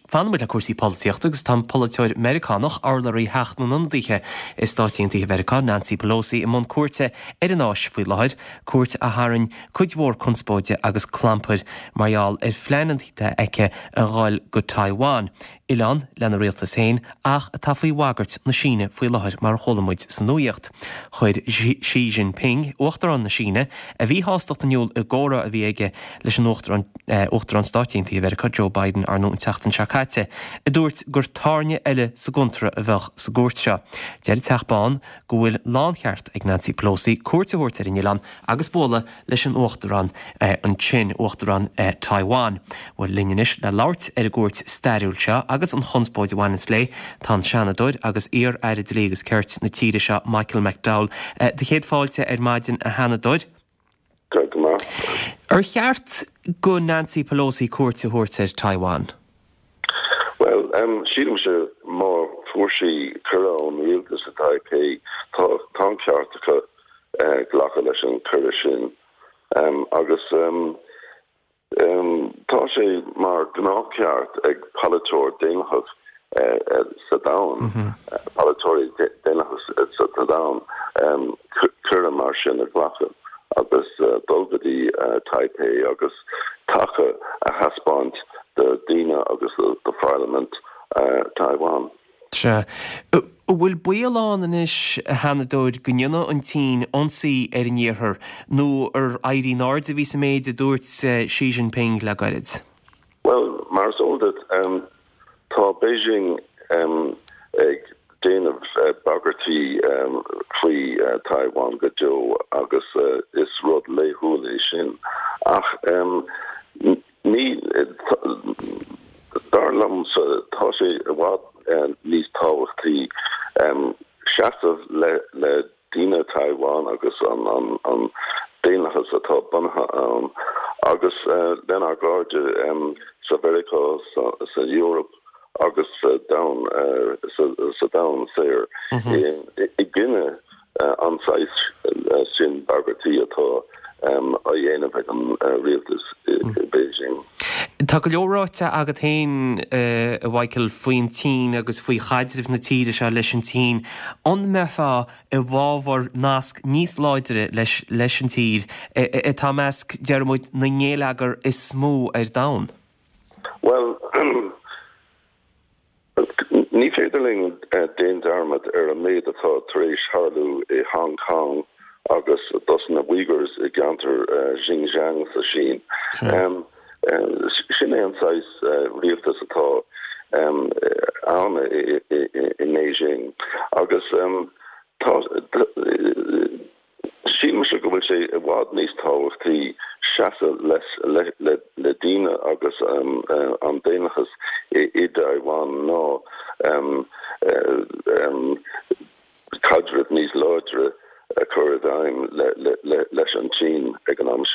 Fanfaidh muid le cúrsaí polaitíochta agus tá an polaiteoir Meiriceánach, urlabhraí Theach na nIonadaithe i Stáit Aontaithe Mheiriceá, Nancy Pelosi, i mbun cuairte ar an Áis faoi láthair, cuairt a tharraing cuid mhór conspóide agus clampair mar gheall ar phleananna atá aici a dhul go Taiwan. oileán lena rialtas féin ach atá faoi bhagairt na Síne faoi láthair mar a chuala muid sa nuaíocht. Chuir Xi Jinping, Uachtarán na Síne, a mhíshástacht in iúl i gcomhrá a bhí aige leis an Uachtarán, Uachtarán Stáit Aontaithe Mheiriceá, Joe Biden, ar ndóigh an tseachtain seo caite, a dúirt gur tairne eile sa gcontúirt a bheadh sa gcuairt seo. Deir an Teach Bán go bhfuil láncheart ag Nancy Pelosi cuairt a thabhairt ar an oileán agus bualadh leis an Uachtarán ansin, Uachtarán Taiwan. Bhuel, linn anois le labhairt ar an gcuairt stairiúil seo agus an chonspóid a bhaineanns léi, tá an Seanadóir agus iar-Aire Dlí agus Cirt na tíre seo, Michael McDowell. Do chéad fáilte ar maidin, a Sheanadóir. Go raibh maith. Ar cheart go Nancy Pelosi cuairt a thabhairt ar Taiwan? Bhuel, sílimse má fuair sí cuireadh ón rialtas i Taipei, tá tá an ceart acu glacadh leis an cuireadh sin. Agus tá sé mar gnáthcheart ag polaiteoir daonlathach sa domhan, polaiteoirí daonlathach sa domhan, cuireadh mar sin a ghlacadh agus dul go dtí Taipei agus taca a thaispeáint do daoine agus do pharlaimint Taiwan. Sea. An bhfuil baol ann anois, a Sheanadóir, go ndéanfaidh an tSín ionsaí ar an Iarthar, nó ar éirí in airde a bhí sa méid a dúirt Xi Jinping le gairid? Bhuel, mar is eol duit, tá Beijing ag déanamh bagairtí faoi Taiwan go deo agus is rud laethúil é sin. Ach ní, dar liomsa, tá sé i bhfad níos tábhachtaí seasamh le daoine Taiwan agus an daonlathas atá bunaithe ann agus lenár gcairde sa Mheiriceá, sa Eoraip agus sa domhan sa domhan saor i gcoinne an saghas sin bagairtí atá á dhéanamh ag an rialtas i Beijing. Tá go leor ráite agat féin, a Mhichael, faoin tSín agus faoi chaidreamh na tíre seo leis an tSín. An mbeifeá i bhfabhar nasc níos láidre leis leis an tír atá i measc, déarfaidh muid, na ngeilleagar is mó ar domhan? Bhuel, Ní féidir linn déan dearmad ar an méid atá tar éis tharlú i Hong Kong agus dos na Uyghurs i gceantar Xinjiang sa Sín. Sin é an saghas rialtas atá ann i mBeijing agus tá Sílimse go bhfuil sé i bhfad níos tábhachtaí seasamh le daoine agus an daonlathas i dTaiwan ná caidreamh níos láidre a chur i bhfeidhm leis an tSín ag an am seo.